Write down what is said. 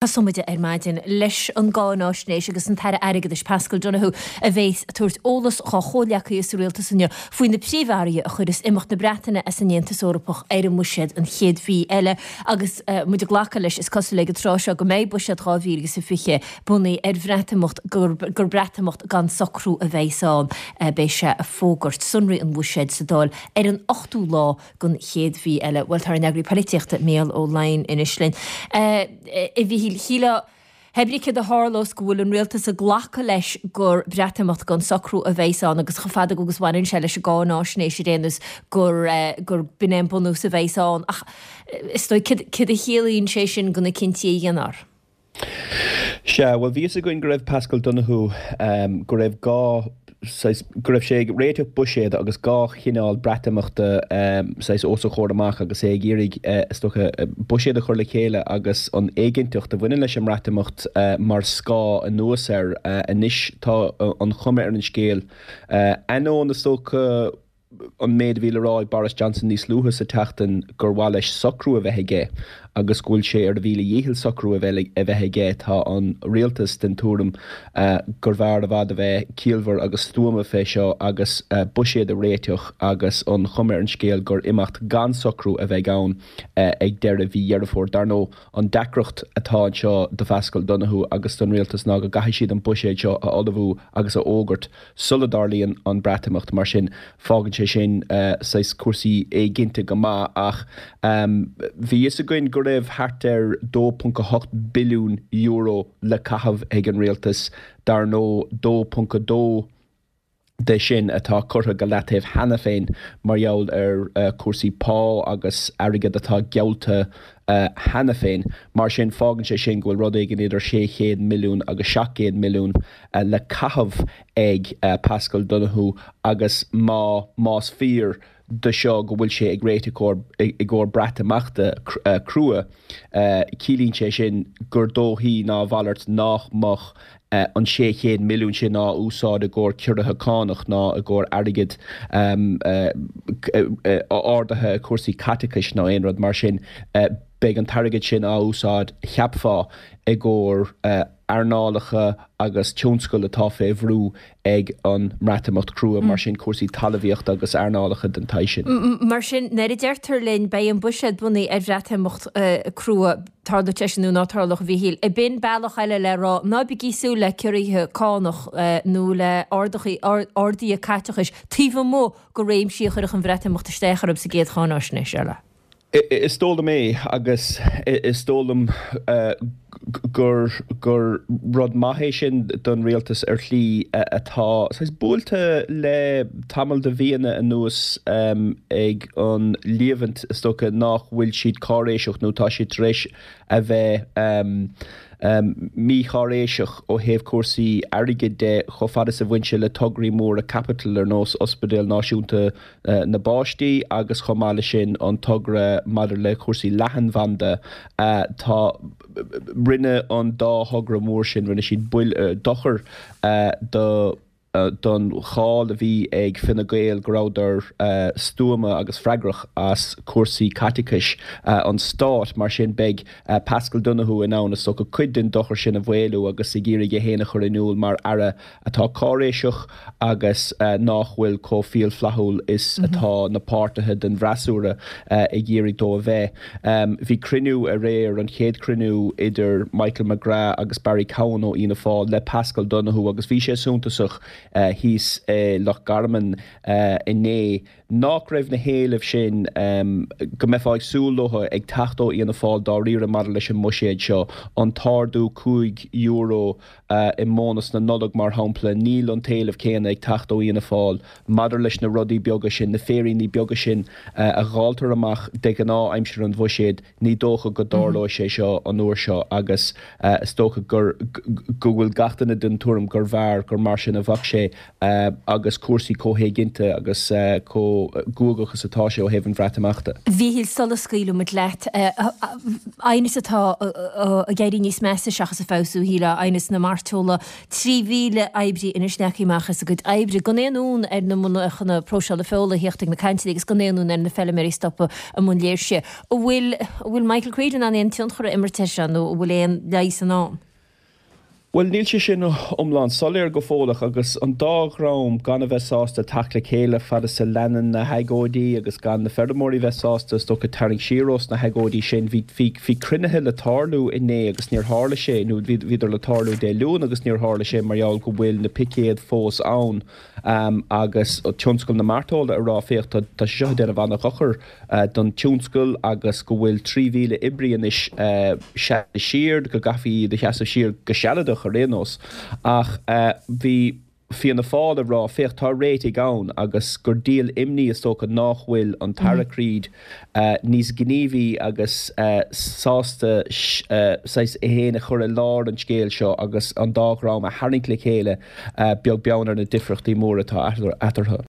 Tosóidh muid ar maidin leis an gcáináisnéis agus an tAire Airgeadais Paschal Donohoe a bheas ag tabhairt eolas dhá chomhghleacaithe sa rialtas inniu faoi na príomhathruithe a chuirfeas imeacht na Breataine as an Aontas Eorpach ar an mbuiséad an chéad mhí eile agus muid ag glacadh leis, is cosúil ag an tráth seo, go mbeidh buiséad 2020 bunaithe ar Bhreatimeacht, gur Breatimeacht gan socrú a bheas ann. Beidh sé ag fógairt sonraí an bhuiséid sa Dáil ar an ochtú lá den chéad mhí eile. Bhuel, tá ár n-eagraí polaitíochta, Mícheál Ó Laighin, anois linn. A Mhíchíl, shílfeá, hé brí céard a tharlós, go bhfuil an rialtas ag glacadh leis gur Breatimeacht gan socrú a bheas ann agus chomh fada agus bhaineann sé leis an gcáináisnéis ar aon nós gur, gur b'in é an bunús a bheas ann. Ach is dóigh, céard a chiallaíonn sé sin do na cinntí a dhéanfar? Sea, bhuel, bhí fhios againn go raibh Paschal Donohoe, go raibh dhá saghas, go raibh sé ag réiteach buiséad agus dhá chineál Breatimeachta saghas os a chomhair amach agus é ag iarraidh, is dócha, buiséad a chur le chéile agus an éiginnteacht a bhaineann leis an mBreatimeacht mar scáth anuas air. Anois tá an chuma ar an scéal, ainneoin, is dócha, an méid a bhí le rá ag Boris Johnson níos luaithe sa tseachtain gur mhaith leis socrú a bheith aige agus go bhfuil sé ar a mhíle dhícheall socrú a bheith aige, tá an rialtas den tuairim gurbh fhearr i bhfad a bheith ciallmhar agus stuama fé seo agus buiséad a réiteach agus an chuma ar an scéal gur imeacht gan socrú a bheidh ann ag deireadh mhí Dheireadh Fómhair. Dar ndóigh, an deacracht atá anseo do Phaschal Donohoe agus don rialtas ná go gcaithfidh siad an buiséad seo a ullmhú agus a fhógairt sula dtarlaíonn an Breatimeacht. Mar sin, fágann sé sin saghas cúrsaí éiginnte go maith ach bhí fhios againn go raibh thart ar €2.8 billiún le caitheamh ag an rialtas. Dar ndóigh, 2.2 de sin atá curtha go leataobh cheana féin mar gheall ar chúrsaí pá agus airgead atá geallta cheana féin. Mar sin, fágann sé sin go bhfuil rud éigin idir 600 milliún agus 700 milliún le caitheamh ag Paschal Donohoe agus má más fíor do seo go bhfuil sé ag réiteach i gcomhair Breatimeachta crua, ciallaíonn sé sin gur dóichí ná a mhalairt nách mbeadh an 600 milliún sin á úsáid i gcomhair ciorruithe cánach ná i gcomhair airgead ardaithe cúrsaí caiteachais ná aon rud mar sin. Beidh an t-airgead sin á úsáid, cheapfá, i gcomhair earnálacha agus tionscail atá fé bhrú ag an mBreatimeacht crua, mar sin cúrsaí talmhaíochta agus earnálacha den tsaghas sin. Mar sin, nuair a deirtear linn beidh an buiséad bunaithe ar Bhreatimeacht crua, tarlóidh sé sin nó ná tarlódh, a Mhíchíl, ab in bealach eile le rá ná bígí ag súil le ciorruithe cánach nó le arduithe caiteachais taobh amuigh de réimsí a chuirfeadh an Bhreatimeacht isteach orthu sa gcéad cháináisnéis eile. Is dóigh liom é agus is dóigh liom gur gur rud maith é sin don rialtas ar shlí atá saghas buailte le tamall de mhíonna anuas ag an líomhaint is dócha nach bhfuil siad cáiréiseach nó tá siad tar éis a bheith mícháiréiseach ó thaobh cúrsaí airgid de chomh fada is a bhain sé le tograí móra caipitil ar nós Ospidéal Náisiúnta na bPáistí agus chomh maith leis sin an togra maidir le cúrsaí leathanbhanda. Tá, rinne an dá thogra mór sin, rinne siad buil, dochar do, don cháil a bhí ag Fine Gael go rabhadar stuama agus freagrach as cúrsaí caiteachais an stáit. Mar sin beidh Paschal Donohoe in ann is dócha cuid den dochar sin a mhaolú agus ag iarraidh é féin a chur in iúl mar aire atá cáiréiseach agus nách bhfuil chomh fial flaithiúil is atá na páirtithe den bhfreasúra ag iarraidh dó a bheith. Bhí cruinniú aréir, an chéad chruinniú idir Michael McGrath agus Barry Cowen ó Fhianna Fáil le Paschal Donohoe agus bhí sé suntasach thíos i Loch Garman inné nách raibh na héilimh sin go mbeifeá ag súil leo ag teacht ó Fhianna Fáil dáiríre maidir leis an mbuiséad seo, an t-ardú €5 i mbónas na Nollag, mar shampla, níl an t-éileamh céanna ag teacht ó Fhianna Fáil maidir leis na rudaí beaga sin, na féiríní beaga sin a dháiltear amach de ghnáth aimsir an bhuiséid. Ní dócha go dtarlóidh sé seo an uair seo agus is dócha gur go bhfuil gach duine den tuairim gurbh fhearr gur mar sin a bheadh sé. sé agus cúrsaí chomh héiginnte agus chomh guagach is atá sé ó thaobh an Bhreatimeachta. A Mhíchíl, sula scaoilfidh muid leat, aighneas atá ag éirí níos measa seachas ag feabhsú, shílfeá, aighneas na mairteola, 3,000 oibrí anois leagtha amach as a gcuid oibre, gan aon fhonn ar na monarchana próiseála feola a theacht ag na cainteanna agus gan aon fhonn ar na feilméaraí stopadh i mbun léirsithe. An bhfuil, an bhfuil Michael Creed in ann aon tionchar a imirt air seo nó an bhfuil aon leigheas i ndán? Bhuel, níl sé sin iomlán soiléir go fóilleach agus an dá dhream gan a bheith sásta teacht le chéile fad is a leanann na hagóidí agus gan na feirmeoirí bheith sásta, is dócha, tarraingt siar ós na hagóidí sin. Bhí, bhí, bhí cruinnithe le tarlú inné agus níor tharla sé, nó bhí, bhíodar le tarlú Dé Luain agus níor tharla sé mar gheall go bhfuil na picéid fós ann agus tionscal na mairteola ag rá, féach, tá, tá sé seo ag déanamh an-dhochar. don tionscal agus go bhfuil 3,000 oibrí anois seasta siar, go gcaithfí iad a sheasamh siar go sealadach ar aon nós. Ach bhí Fianna Fáil ag rá, féach, tá réitigh ann agus gur díol imní is dócha nách bhfuil an tAire Creed níos gníomhaí agus sásta saghas é féin a chur i lár an scéil seo agus an dá dhream a tharraingt le chéile beag beann ar na difríochtaí móra atá eatarthu.